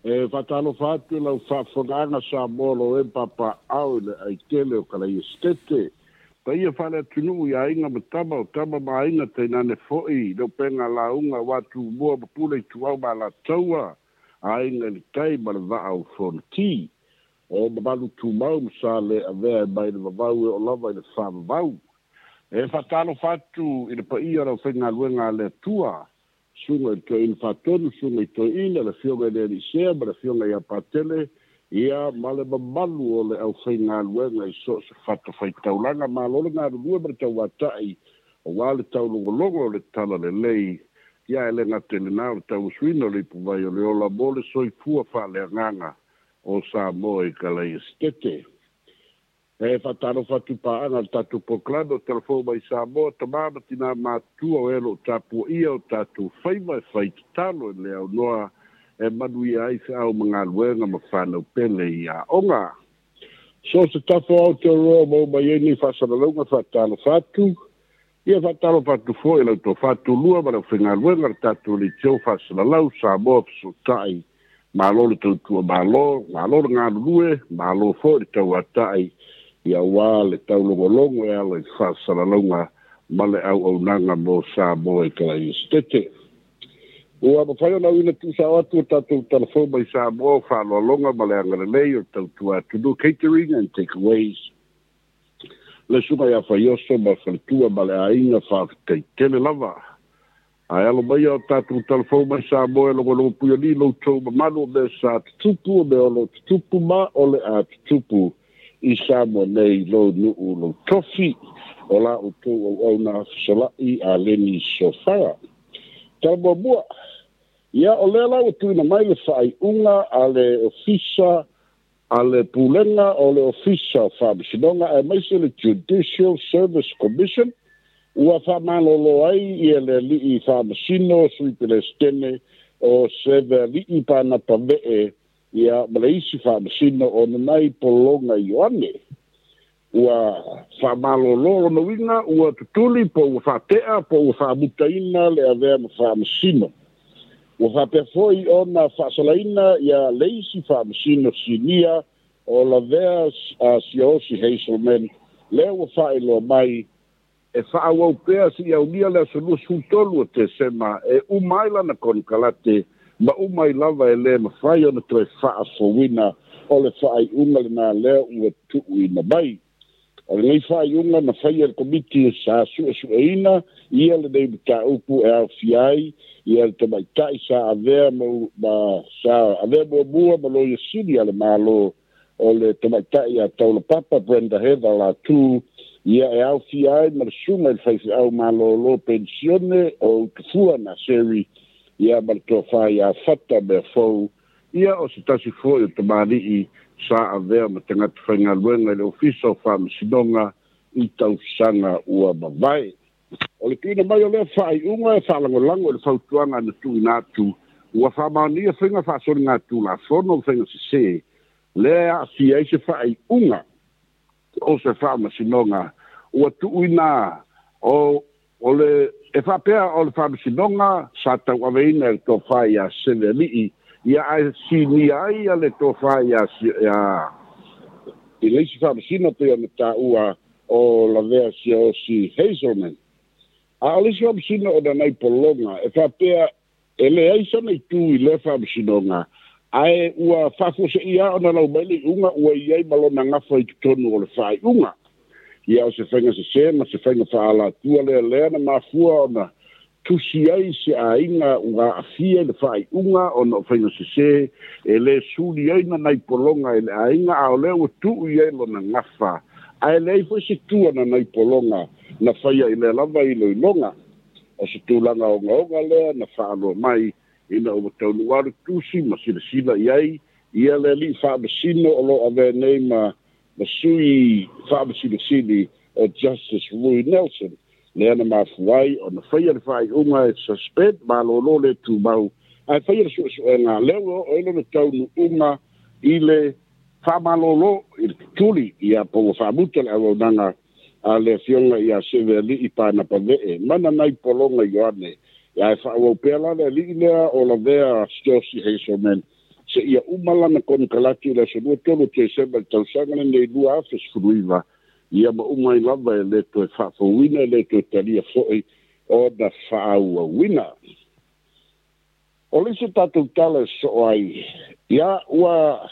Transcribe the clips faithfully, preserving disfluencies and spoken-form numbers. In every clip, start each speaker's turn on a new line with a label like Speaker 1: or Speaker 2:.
Speaker 1: E faatalofa atu i lau faafofogaaga Samoa lo e papaao i le aitele o Kalaiesetete. Paia faaleatunuu i aiga ma tama o tama ma aiga tainane fo'i le upega lauga aua Tumua ma Pule Ituau ma Alataua, aiga i le tai ma le vaa o Fonoti. O mamalu tumau ma sa le avea e mai le vavau e oo lava i le faavavau. E faatalofa atu i le paia o le aufaigaluega a le Atua, susuga i le Toeaina Faatonu, susuga i Toeaina, le Afioga i le Alii ma le Afioga ia Patele, ia ma le mamalu o le aufaigaluega i so o se fatafaitaulaga. Malo le galulue ma le tauatai aua le taulogologo o le talalelei, ia e le gata i lena o le tauasuina o le ipuvai o le ola mo le soifua faaleagaga o Samoa i Kalaiesetete. E faatalofa atu paaga le tatou polokalame o Talafou mai Samoa, tamā ma tinā matutua o e o lo o tapuaia o tatou faiva e fai tatalo i le aunoa e manuia ai feau ma galuega ma fanau pele i aoga. So se tafa o Aotearoa maua mai ai nei faasalalauga, faatalofa atu. Ia faatalofa atu foi i lau tofa tulua ma le aufaigaluega le tatou leitio faasalalau Samoa Fesootai. Malo le tautua malo, malo le galulue, malo foi le tauatai ia aua le taulogologo e ala i faasalalauga ma le auaunaga mo Samoa i Kalaiesetete. Ua mafai ona auina tuusao atu o tatou Talafou mai Samoa o faaaloaloga ma le agalelei o le tautua atunuu catering and takeaways. Le susuga ia Faioso ma faletua ma le aiga faafetai tele lava. Ae alo maia o tatou Talafou mai Samoa e logologo puialii lo outou mamalu o mea sa tutupu, o mea o lo tutupu ma o le a tutupu i Samoa nei lo nuu lo tofi o la outou auauna fesolai a Leni Sofara. Tala muamua, ia o lea la ua tuuina mai le faaiuga a le Ofisa a le Pulega o le Ofisa o Faamasinoga aemaise le Judicial Service Commission ua faamalolo ai ia le alii faamasino Sui Peresetene o Seveali'i Panapa Ve'e ia ma le isi faamasino o Nanai Pologa Ioane. Ua faamalolo lona uiga ua tutuli po ua faate'a po ua faamutaina le avea ma faamasino. Ua faapea foi ona faasalaina ia le isi faamasino sinia o Lavea Siaosi Hazelman, lea ua faailoa mai e faaauau pea seia aulia le aso luasefulu tolu o Tesema e uma ai lana konekarate ma uma ai lava e lē mafai ona toe faafouina. O le faaiuga lenā lea ua tuuina mai. O lenei faaiuga na faia le komiti sa suesueina ia lenei mataupu e aofia ai ia le tamaita'i sa avea ma, ma sa avea muamua ma Loia Sili a le Malo o le tamaita'i a Taulapapa Brenda Heather Latu, ia e aofia ai ma le susuga i le faifeau malōlō penisione o Utufua Naseri, ia ma le tofa iā Fata Meafou, ia o se tasi foi o tamalii sa avea ma tagata faigaluega i le Ofisa o Faamasinoga i tausaga ua mavae. O le tuuina mai o lea faaiuga e faalagolago i le fautuaga na tuuina atu ua faamaonia faiga faasoligatulafono ma faiga sesē lea e aafia ai se faaiuga o se faamasinoga ua tuuina o o le e faapea o le faamasinoga sa tauaveina e le tofa iā Seveali'i ia ae sinia ai ia le tofa iā ia i le isi faamasino pei ona taua o Lavea Siaosi Hazelman. A o le isi faamasino o Nanai Pologa e faapea e leai sana itu i lea faamasinoga ae ua faafuaseia ona lau mai le iuga ua i ai ma lona gafa i totonu o le faaiuga. Ia o se faiga sesē ma se faiga faaalatua lea lea na mafua ona tusi ai se aiga ua aafia i le faaiuga ona o faiga sesē e lē suli ai Nanai Pologa i le aiga a o lea ua tuu i ai lona gafa ae leai foi se tua Nanai Pologa na faia i lea lava iloiloga. O se tulaga ogaoga lea na faaloa mai ina ua taunuu le tusi ma silasila i ai ia le alii faamasino o lo avea nei ma ma sui faamasinosili o Justice Rui Nelson lea na mafua ai ona faia le faaiuga e suspend malōlō le tumau ae faia le suesuega lea ua oo ai lona taunuuga i le faamalōlō i le tutuli ia po ua faamuta le auaunaga a le afioga ia Seveali'i Panapa Ve'e ma Nanai Pologa Ioane. Ia e faaauau pea la le alii lea o Lavea Siaosi Hazelman Seia uma lana konekarate i le aso lua tolu o Tesema i le tausaga lenei lua afe sefuluiva, ia ma uma ai lava e lē toe faafouina e lē toe talia fo'i ona faaauauina. O le isi tatou tala e soo ai, ia ua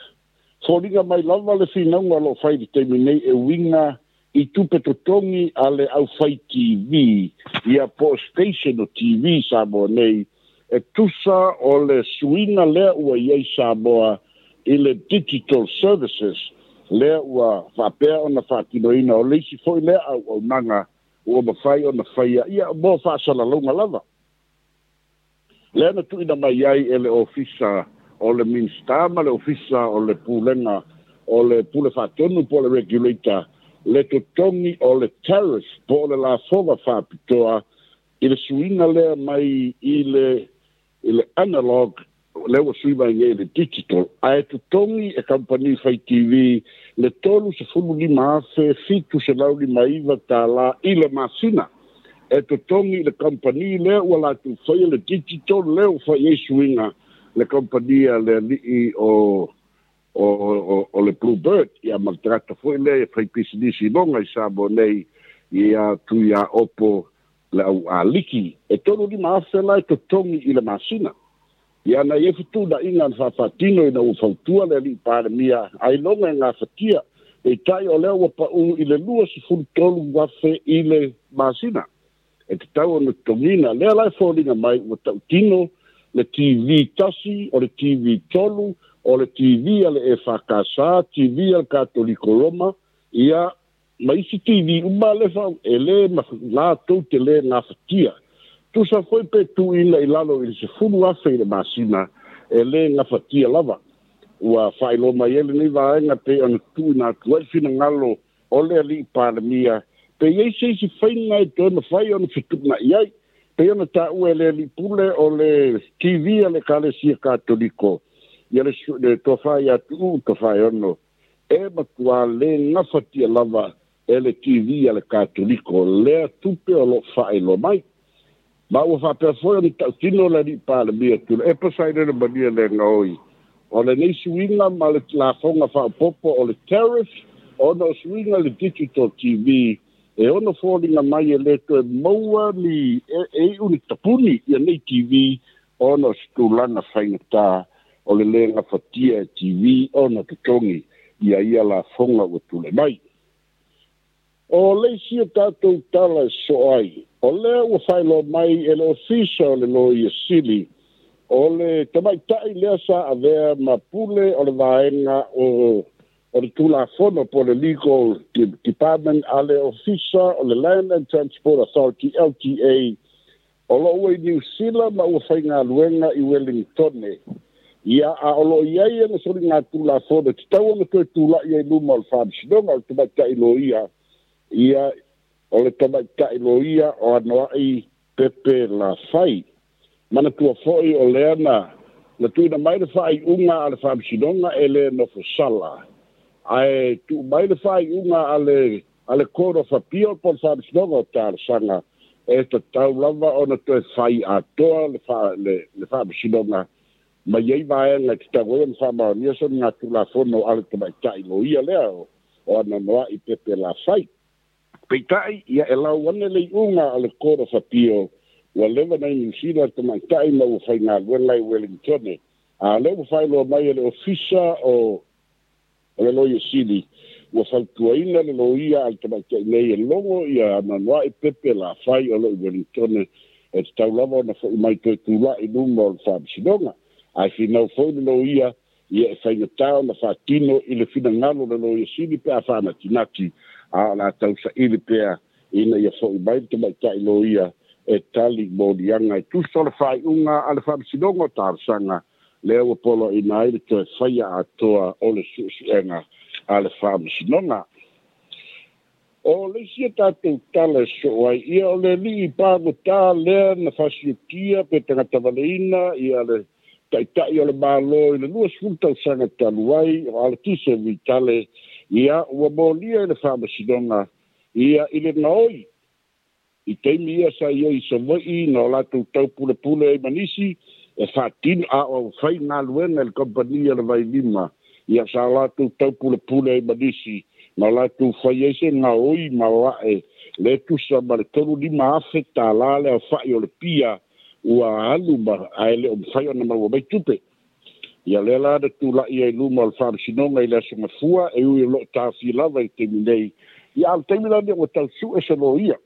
Speaker 1: foliga mai lava le finauga o loo fai i le taimi nei e uiga i tupe totogi a le aufai T V, ia po o station o T V Samoa nei, e tusa o le suiga lea ua iai Samoa i le digital services, lea ua faapea ona faatinoina o le isi foi lea auaunaga ua mafai ona faia, ia mo faasalalauga lava. Lea na tuuina mai ai e le ofisa o le Minista ma le ofisa o le pulega o le pule faatonu po o le regulator, le totogi o le tariff po o le lafoga faapitoa i le suiga lea mai i le i le analog lea ua sui mai nei i le digital, ae totogi e kamupani fai T V le tolu sefulu lima afe fitu selau lima iva tālā i le masina. E totogi le kamupani lea ua latou faia le digital lea ua fai ai suiga le kamupani a le alii o o o, o le Bluebird, ia ma le tagata foi lea e fai pisinisi iloga i Samoa nei, ia Tuia Opo le au aliki. E tolu lima afe la e totogi i le masina. Ia na ia fetuunaiga na faafaatino ina ua fautua le alii Palemia ailoga e gafatia, peitai o lea ua pau i le lua sefulu tolu afe i le masina. E tatau ona totogina lea la e foliga mai ua tautino le T V tasi, o le T V tolu, o le T V a le E F K S, T V a le Katoliko Roma, ia ma isi T V uma le fa e lē latou te lē gafatia. Tusa foi pe tuuina i lalo i le sefulu afe i le masina, e lē gafatia lava. Ua faailoa mai ai lenei vaega pei ona tuuina atu ai le finagalo o le alii Palemia, pe iai se isi faiga e toe mafai ona fetuuna'i ai. Pei ona taua e le alii pule o le T V a le Ekalesia Katoliko, ia le, le tofa ia Tuuu Tofaeono, e matuā lē gafatia lava e le T V a le Katoliko lea tupe o loo faailoa mai. Ma ua faapea foi ona tautino le alii Palemia Tuilaepa Sailele Malia le gaoi o lenei suiga ma le lafoga faaopopo o le tariff ona o suiga le digital T V e ono foliga mai e lē toe maua ni e, e iu ni tapuni ia nei T V ona o se tulaga faigatā o le lē gafatia e T V ona totogi ia ia lafoga ua tulai mai. O le isi o tatou tala e soo ai, o lea ua faailoa mai e le ofisa o le Loia Sili, o le tamaita'i lea sa avea ma pule o le vaega o o le Tulafono po le Legal Department a le ofisa o le Land and Transport Authority L T A, o loo ua i Niu Sila ma ua faigaluega i Wellingtone. Ia a o loo iai ana soliga Tulafono tatau ona toe tula'i ai luma o le faamasinoga o le tamaita'i loia, ia o le tamaita'i loia o Anoa'i Pepe Lafai. Manatua foi o lea na na tuuina mai le faaiuga a le faamasinoga e lē nofosala, ae tuu mai le faaiuga a le a le Court of Appeal po le faamasinoga o talosaga, e tatau lava ona toe fai atoa le fa le, le faamasinoga mai ai vaega e tatau ai ona faamaonia soliga Tulafono a le tamaita'i loia lea o, o Anoa'i Pepe Lafai. Peitai, ia e lau ane le iuga a le Court of Appeal, ua leva nai Niu Sila le tamaita'i ma ua faigaluega i Wellingtone. A lea ua faailoa mai e le ofisa o o le Loia Sili, ua fautuaina le loia a le tamaita'i nei e logo ia Anoa'i Pepe Lafai o loo i Wellingtone, e tatau lava ona fo'i mai toe tula'i luma o le faamasinoga. Ae finau foi le loia, ia e faigatā ona faatino i le finagalo o le Loia Sili pe a faanatinati, a o la tausaili pea ina ia fo'i mai le tamaita'i loia e tali moliaga e tusa o le faaiuga a le faamasinoga o talosaga lea ua poloaina ai le toe faia atoa o le suesuega a le faamasinoga. O le isi o tatou tala e soo ai, ia o le alii pagotā lea na fasiotia pe tagata valeina ia le ta'ita'i o le Mālō i le lua sefulu tausaga talu ai o Alatise Vitale, ia ua molia i le faamasinoga ia i le gaoi i taimi ia sa iai i Savaii na o latou taupulepule ai ma nisi E faatino a o faigaluega i le kamupani a le Vailima ia sa latou taupulepule ai ma nisi ma latou fai ai se gaoi ma oa'e le tusa ma le tolu lima afe tālā le aofa'i o le pia ua alu ma ae le o mafai ona maua mai tupe. Ia lea la na tula'i ai luma o le faamasinoga i le aso Gafua e ui o lo'o taofia lava i le taimi nei. Ia a o le taimi lani ua tausu'e se loia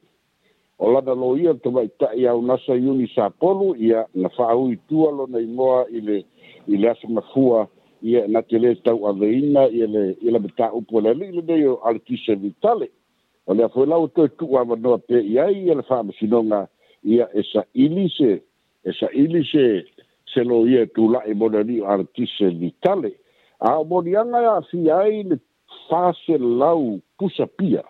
Speaker 1: o lana loia le tamaita'i aunasa Iuni Sapolu ia na faaui tua lona igoa i le i le aso Gafua ia na te lē tauaveina ia le ia le mataupu a le ali'i lenei o Aletise Vitale. O lea foi la ua toe tu'u avanoa pea i ai ia le faamasinoga ia e sa'ili se e sa'ili se se loia e tula'i mo le ali'i o Aletise Vitale. A o moliaga e aafia ai le faselau pusa pia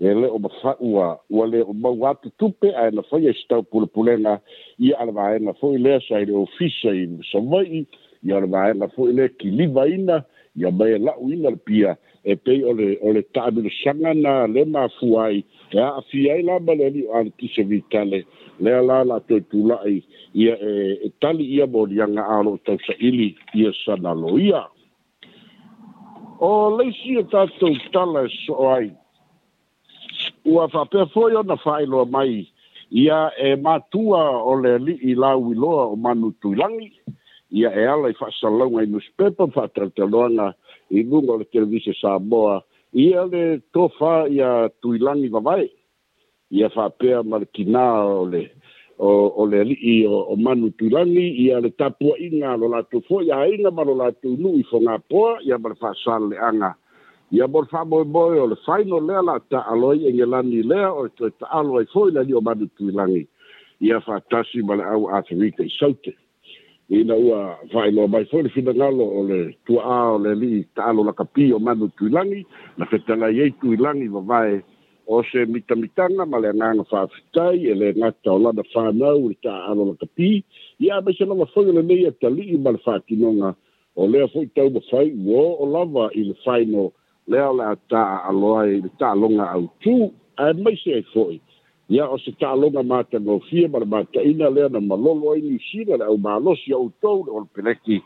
Speaker 1: e le o mafa ua ua le o maua atu tupe ae na faia i se taupulepulega ia a le vaega foi lea sa i le ofisa i Savai'i ia o le vaega foi lea kilivaina ia mai e la'uina le pia e pei o le o le taamilosaga na le mafua ai e aafia ai la ma le ali'i o Aletise Vitale lea la la toe tula'i ia e, e tali ia moliaga a o lo'o tausaili ia sana loia. O leisi o tatou tala e so'o ai ua faapea foi ona faailoa mai ia e matua o le ali'i lauiloa o Manu Tuilagi ia e ala i faasalalauga i newspaper faatalatalanoaga i luga o le televise Samoa ia le tofa ia Tuilagi vavae ia faapea ma le tinā o le o, o le ali'i o, o Manu Tuilagi ia le tapua'iga a lo latou fo'i aiga ma lo latou nu'u i Fogapoa ia ma le faasalele'aga ia mo le faamoemoe o le final lea la taalo ai Egelani lea o le toe taalo ai foi le ali'i o Manu Tuilagi ia faatasi ma le au Aferika i Saute. Ina ua faailoa mai foi le finagalo o le tua'a o le ali'i taalo lakapi o Manu Tuilagi na fetalai ai Tuilagi vavae o se mitamitaga ma le agaga faafetai e le gata o lana fanau le taaalo lakapi ia aemaise lava foi o lenei atali'i ma le faatinoga o lea foi taumafai ua oo lava i le final lea o le a taaalo ai le taaloga autū aemaise ai foi ia o se taaloga matagofie ma le mataina lea na malolo ai Niusila le aumalosi a outou le Olopeleki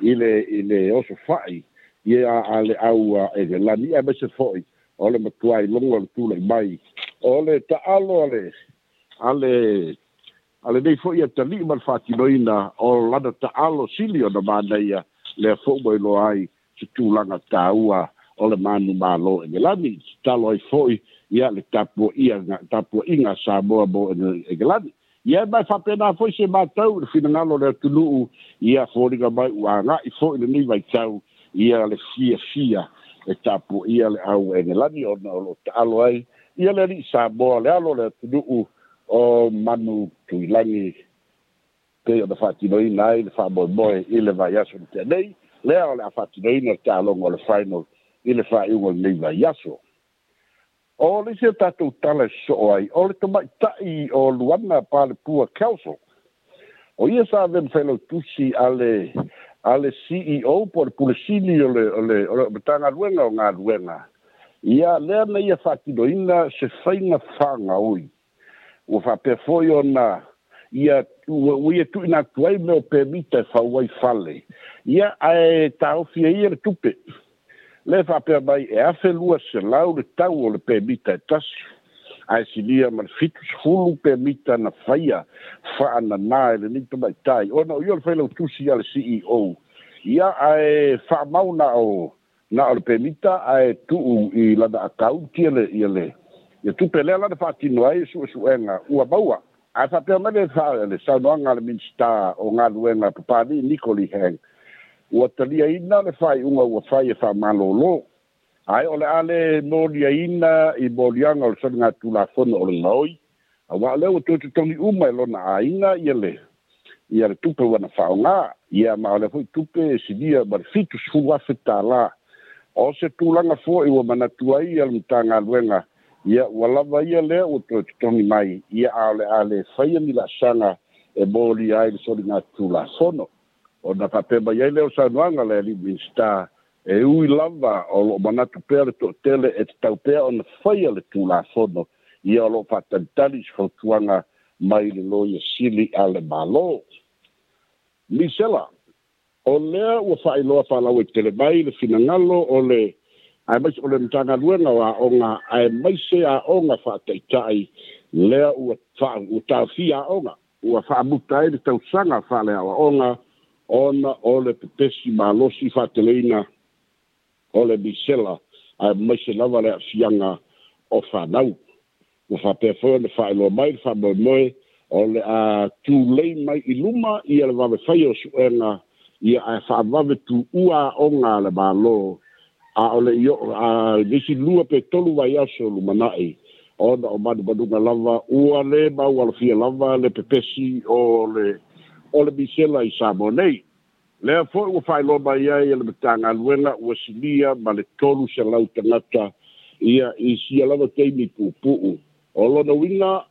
Speaker 1: i le i le oso fa'i ia a le au Egelani aemaise foi o le matuai logo o le tula'i mai o le taalo a le a le a lenei foi atali'i ma le faatinoina o lana taalo sili ona manaia lea fo'u ua iloa ai se tulaga tāua o le manu mālō Egelani tatalo ai foi ia le tapuaʻia tapuaʻiga a Samoa mo Egelani. Ia mai faapena foi se matau le finagalo o le atunu'u ia foliga mai ua aga'i foi lenei vaitau ia le fiafia e tapuaʻia le au Egelani ona o lo'o taalo ai ia le ali'i Samoa le alo o le atunu'u o Manu Tuilagi pei ona faatinoina ai le faamoemoe i le vaiaso na tea nei lea o le a faatinoina le taaloga o le final i le faaiuga o lenei vaiaso. O le isi o tatou tala e so'o ai o le tamaita'i o Luana Palepua Council o ia sa ave ma failautusi a le a le C E O po o le pulesili o le o le o le Matagaluega o Galuega ia lea na ia faatinoina se faiga fagaoi ua faapea foi ona ia ua, ua ia tu'uina atu ai mea o pemita e fau ai fale ia ae taofi ai ia le tupe le faapea mai e afe lua selau le tau o le pemita e tasi ae silia ma le fitu sefulu pemita na faia faananā e lenei tamaitai ona o ia o le failautusi a le C E O ia ae faamau na o na o le pemita ae tu'u i lana akaunti le ia le ia tupe lea lana faatino ai su'esu'ega ua maua ae faapea mai le le saunoaga a le Minisita o Galuega Papali'i Nicoli Hang ua taliaina le faaiuga ua fai e faamalōlō ae o le a le moliaina i moliaga o le soligatulafono o le gaoi auā o lea ua toe totogi uma e lona aiga ia le ia le tupe ua na faaaogā ia ma o lea foi tupe e silia ma le fitu sefulu afe tālā o se tulaga fo'i ua manatu ai ia le Matagaluega ia ua lava ia lea ua toe totogi mai ia a o le a le faia ni laasaga e molia ai le soligatulafono ona faapea mai ai lea o saunoaga le ali'i Minisita e ui lava o lo'o manatu pea le to'atele e tatau pea ona faia le tulafono ia o lo'o faatalitali i se fautuaga mai le loia sili a le Mālō. Misela o lea ua faailoa faalauaitele mai le finagalo o le aemaise o le Matagaluega o Aoga aemaise aoga faataitai lea ua ua taofia aoga ua faamuta ai le tausaga faaleaoaoga ona o le pepesi malosi faateleina o le misela aemaise lava le aafiaga o fanau. Ua faapea foi ona faailoa mai le faamoemoe o le a tulei mai i luma ia le vave faia o suega ia ae faavave tuua aoga a le Malo a o le i a le isi lua pe tolu vaiaso lumanai ona o manumanuga lava ua le maualofia lava le pepesi o le o le misela i Samoa nei. Lea foi ua faailoa mai ai e le Matagaluega ua silia ma le tolu selau tagata ia i sia lava taimi puupuu. O lona uiga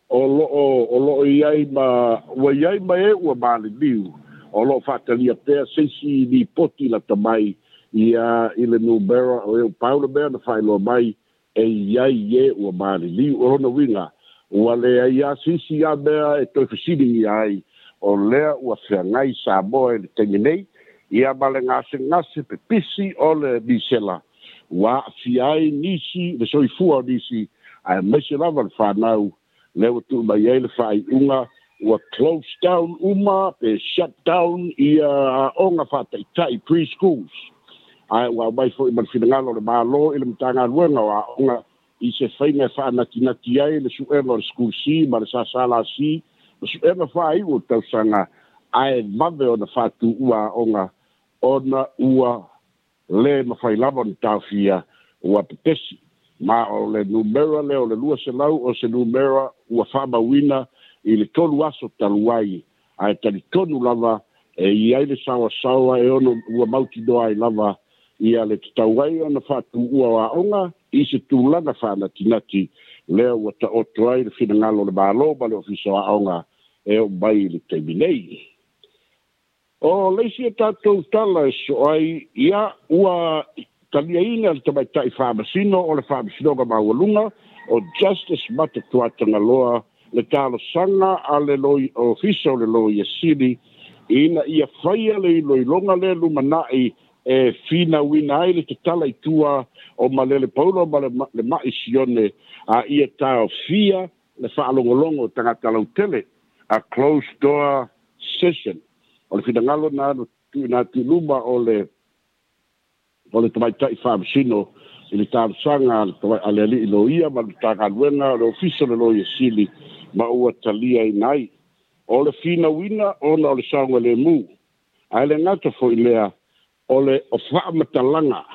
Speaker 1: o loo o loo i ai ma ua i ai ma e ua maliliu o loo faatalia pea se isi lipoti lata mai ia i le numera o e pau le mea na faailoa mai e i ai e ua maliliu. O lona uiga ua leai lava se isi a mea e toe fesiligia ai o lea ua feagai Samoa i le taimi nei ia ma le gasegase pepisi o le misela ua aafia ai nisi le soifua o nisi aemaise lava le fanau lea ua tuu mai ai le faaiuga ua close down uma pe shut down ia aoga faataitai preschools ae ua aumai foi ma le finagalo o le Malo i le Matagaluega o Aoga i se faiga e faanatinati ai le suega o le School C ma le S S L C ma suega faaiu o tausaga ae vave ona faatuua aoga ona ua le mafai lava ona taofia ua pepesi. Ma o le numera lea o le lua selau o se numera ua faamauina i le tolu aso talu ai ae talitonu lava e i ai le saoasaoa e ono ua mautinoa ai lava ia le tatau ai ona faatuua o aoga i se tulaga faanatinati lea ua taoto ai le finagalo o le Malo ma le Ofisa o Aoga e oo mai i le taimi nei. O le isi e tatou tala e soo ai ia ua taliaina le tamaitai faamasino o le Faamasinoga Maualuga o Justice Matatuatagaloa le talosaga a le loi Ofisa o le Loia Sili ina ia faia le iloiloga lea lumanai e finauina ai le tatala i tua o Malele Paulo ma le, le Ma'i Sione a ia taofia le faalogologo o tagata lautele, a closed door session. O le finagalo na tuuina atu i luma o le o le tamaitai faamasino i le talosaga a le alii loia ma le Matagaluega o le Ofisa o le Loia Sili ma ua taliaina ai. O le finauina ona o le saogalemu ae le gata foi lea o le o faamatalaga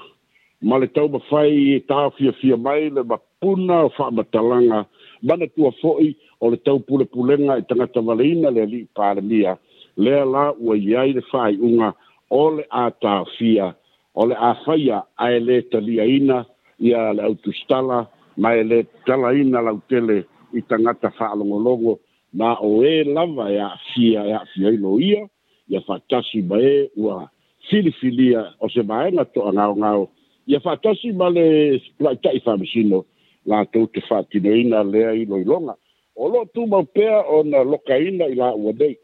Speaker 1: ma le taumafai e taofiafia mai le mapuna o faamatalaga manatua foi o le taupulepulega i tagata valeina le alii Palemia lea la ua i ai le faaiuga o le a taofia o le a faia ae le taliaina ia le autusitala ma e le talaina lautele i tagata faalogologo ma o e lava e aafia e aafia ai loia ia faatasi ma e ua filifilia o se vaega toagaogao ia faatasi ma le tamaitai faamasino latou te faatinoina lea iloiloga. O loo tumau pea ona lokaina i laua nei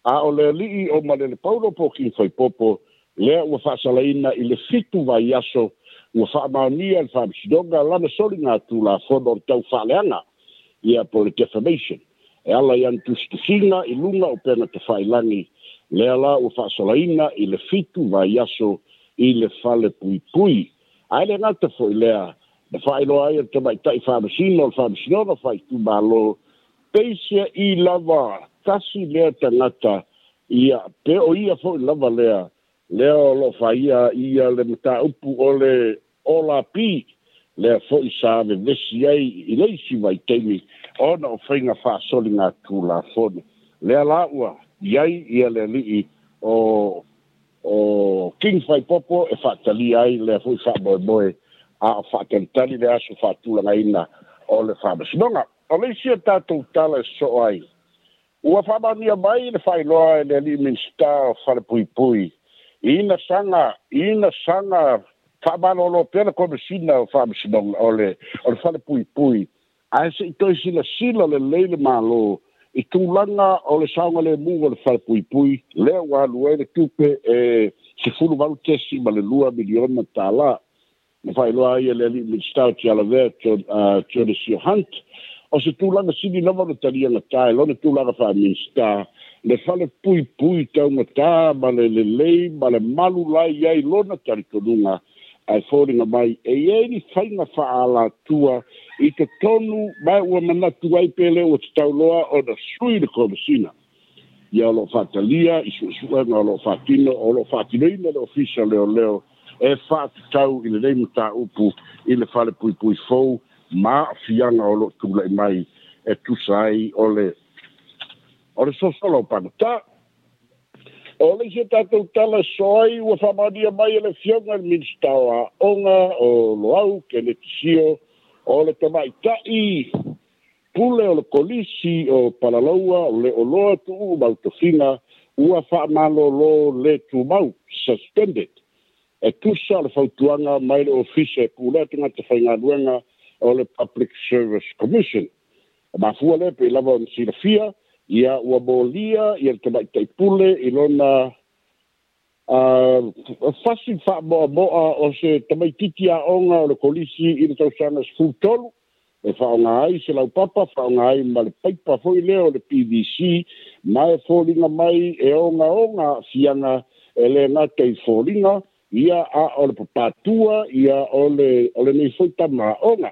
Speaker 1: a o le alii o Malele Paulo po King Faipopo lea ua faasalaina i le fitu vaiaso ua faamaonia le Faamasinoga lana soliga tulafono o le tau faaleaga ia po le defamation e ala i ana tusitusiga i luga o upega tafailagi lea la ua faasalaina i le fitu vaiaso i le fale puipui. Ae le gata foi lea na faailoa ai e le tamaitai faamasino o le Faamasinoga Faaitumalo peisia i lava tasi lea tagata ia pe o ia foi lava lea lea o loo faia ia le mataupu o le O L P lea foi sa vevesi ai i le isi vaitaimi ona o faiga faasoliga tulafono lea la ua i ai ia le alii o o King Faipopo e faatalia ai lea foi faamoemoe a o faatalitali le aso faatulagaina o le Faamasinoga. O le isi e tatou tala e soo ai ua faamaonia mai le faailoa e le alii Minisita o Falepuipui ina saga ina saga faamalolo pea le Komesina o Faamasinoga o le o le Falepuipui ae se i toe silasila lelei le Malo. I tulaga o le saogalemu o le falepuipui lea ua alu ai le tupe e sefulu valu tesi ma le lua miliona tālā. Na faailoa ai e le alii Minisita o Tialavea Tionisio Hunt. O se tulaga sili lava o le taliagatā e lona tulaga faa-Minisita le falepuipui taugatā ma le lelei ma le malu lai ai lona talitonuga ae foliga mai e iai ni faiga faaalatua i totonu ma ua manatu ai pe lē ua tatau loa ona sui le Komesina. Ia o loo faatalia i suesuega o loo faatino o loo faatinoina le Ofisa Leoleo e faatatau i lenei mataupu i le falepuipui fou ma aafiaga o loo tula'i mai e tusa ai o le o le sosola o pagota. O le isi o tatou tala soai ua faamaonia mai e le Afioga i le Minisita o Aoga o Loau Keneti Sio o le tamaita'i pule o le Kolisi o Palalaua o Le'oloa Tuuu Mautofiga ua faamalōlō lē tumau, suspended, e tusa o le fautuaga mai le Ofisa e pulea tagata faigaluega o le Public Service Commission. O mafua lea pei lava ona silafia ia ua molia ia le tamaita'i pule i lona uh, fasi faamoamoa o se tamaititi aoga o le Kolisi i le tausaga sefulu tolu e faaaoga ai se laupapa faaaoga ai ma le paipa foi lea o le P V C ma e foliga mai e ogaoga aafiaga e lē gata i foliga ia a o le papatua ia o le o lenei foi tama aoga.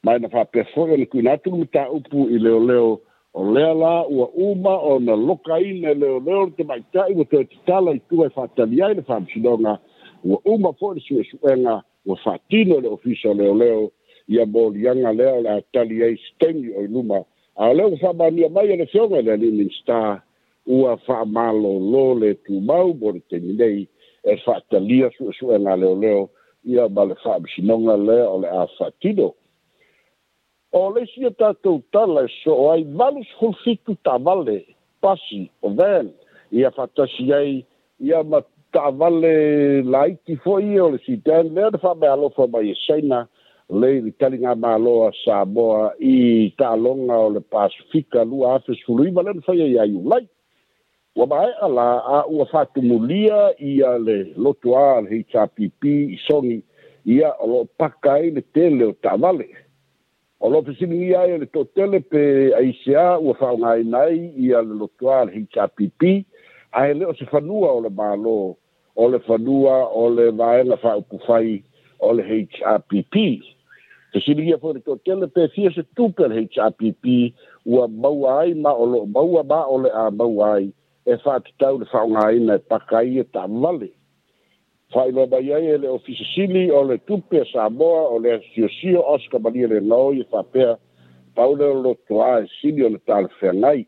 Speaker 1: Ma e na faapea foi ona tuuina atu le mataupu i leoleo o lea la ua uma ona lokaina e leoleo le tamaita'i ua toe tatala i tua e faatali ai le faamasinoga ua uma foi le suesuega ua faatino le Ofisa o Leoleo ia moliaga lea o le a tali ai se taimi o i luma. A o lea ua faamaonia mai e le Afioga i le alii Minisita ua faamalōlō le tumau mo le taimi nei e faatalia suesuega a leoleo ia ma le faamasinoga lea o le a faatino. O le isi o tatou tala e soo ai valu sefulu fitu taavale pasi o van ia faatasi ai ia ma taavale laiti foi ia o le sedan lea na faameaalofa mai e Saina le i le taligamalo a Samoa i taaloga o le Pasifika lua afe sefulu iva lea na faia ia Iulai. Ua maea la a ua faatumulia ia le lotoā le H R P P i Sogi ia o loo paka ai le tele o taavale. O loo fesiligia ai e le toatele pe aisea ua faaaogaina ai ia le lotoā le H R P P ae le o se fanua o le Malo o le fanua o le vaega faaupufai o le H R P P. Fesiligia foi le toatele pe fia se tupe le H R P P ua maua ai ma o loo maua ma o le a maua ai e faatatau le faaaogaina e paka ai e taavale. Faailoa mai ai e le Ofisa Sili o le Tupe a Samoa o le Asiosio Oscar Malia Legaoi e faapea pau lea o lotoā e sili o le talafeagai.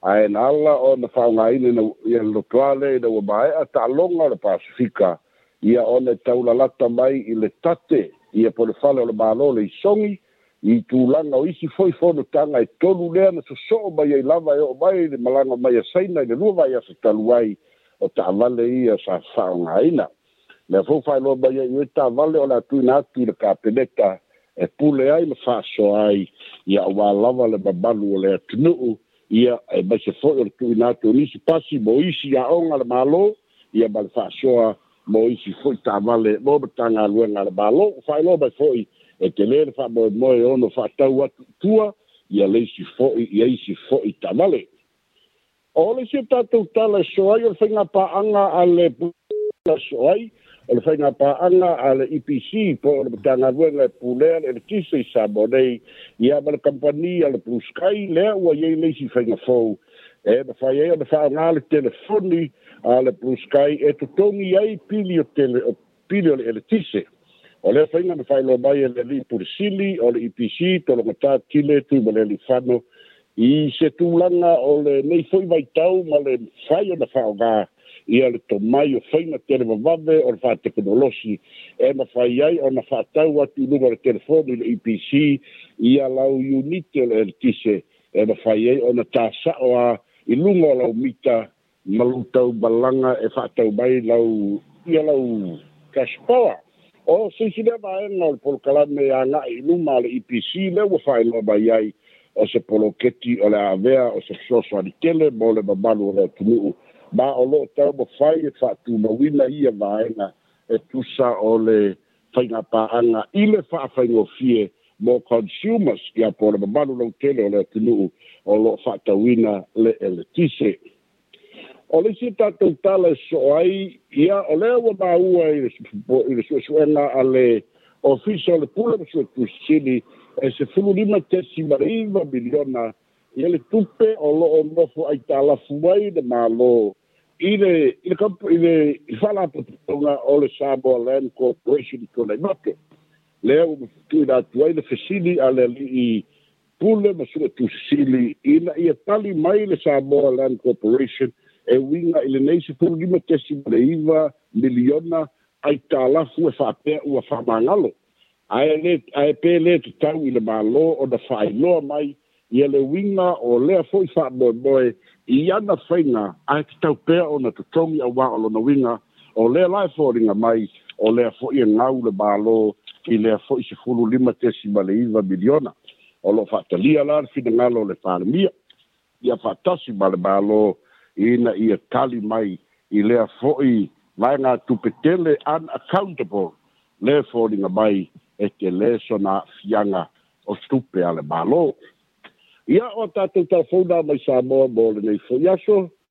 Speaker 1: Ae na ala ona faaaogaina ia le lotoā lea ina ua maea taaloga o le Pasifika ia ona e taulalata mai i le tate ia po le fale o le Malo le Isogi i tulaga o isi foi fonotaga e tolu lea na sosoo mai ai lava e oo mai le malaga mai a Saina i le lua vaiaso talu ai o taavale ia sa faaaogaina. Lea foi faailoa mai ai i taavale o le a tuuina atu i le Kapeneta e pule ai ma faasoa ai ia auā lava le mamalu o le atunuu ia e maise foi o le tuuina atu o nisi pasi mo isi aoga a le Malo ia ma le faasoa mo isi foi taavale mo Matagaluega a le Malo. Faailoa mai foi e telē le faamoemoe ono faatau atu i tua ia le isi foi ia isi foi taavale. O le isi o tatou tala e soa ai o le faigapaaga a le soo ai o le faigapaaga a le E P C po o le Matagaluega e pulea le eletise i Samoa nei ia ma le kampani a le Blue Sky lea ua iai le isi faiga fou e mafai ai ona faaaoga le telefoni a le Blue Sky e totogi ai pili o tele o pili o le eletise. O lea faiga na faailoa mai e le alii Pule Sili o le E P C Tologatā Tile Tuimalealiifano i se tulaga o lenei foi vaitau ma le mafai ona faaaoga ia le tomai o faiga televavave o le faatekonolosi e mafai ai ona faatau atu i luga o le telefoni le E P C ia lau unite o le eletise e mafai ai ona tasao a i luga o lau mita ma lou taumalaga e faatau mai lau ia lau cash power. O se isi lea vaega o le polokalame agai i luma a le E P C lea ua faailoa mai ai O se poloketi o le avea o se fesoasoani tele mo le mamalu o le atunuu ma o loo taumafai e faatumauina ia vaega e tusa o le faigapaaga i le faafaigofie mo consumers, ia po o le mamalu lautele o le atunuu o loo faatauina le eletise. O le isi tatou tala e soo ai, ia o lea ua maua i le suesuega a le Ofisa o le Pule ma Suetusi e sefulu lima tesi ma le iva miliona ia le tupe o loo nofo aitalafu ai le Malo i le i le i le faalapotopotoga o le Samoa Land Corporation i Tuanaimato. Lea ua tuuina atu ai le fesili a le alii pule ma suetusi ina ia tali mai le Samoa Land Corporation e uiga i lenei sefulu lima tesi ma le iva miliona aitalafu e faapea ua faamagalo. Ae le ae pe le tatau i le Malo ona faailoa mai ia le uiga o lea fo'i faamoemoe i ana faiga ae tatau pea ona totogi, auā o lona uiga o lea la e foliga mai o lea fo'i e gau le Malo i lea fo'i sefulu lima tesi ma le iva miliona. O loo faatalia la le finagalo o le Palemia ia faatasi ma le Malo ina ia tali mai i lea fo'i vaega tupe tele unaccountable le foliga mai e telē sona aafiaga o tupe a le Malo. Ia o tatou telefouna mai Samoa mo lenei fo'i aso.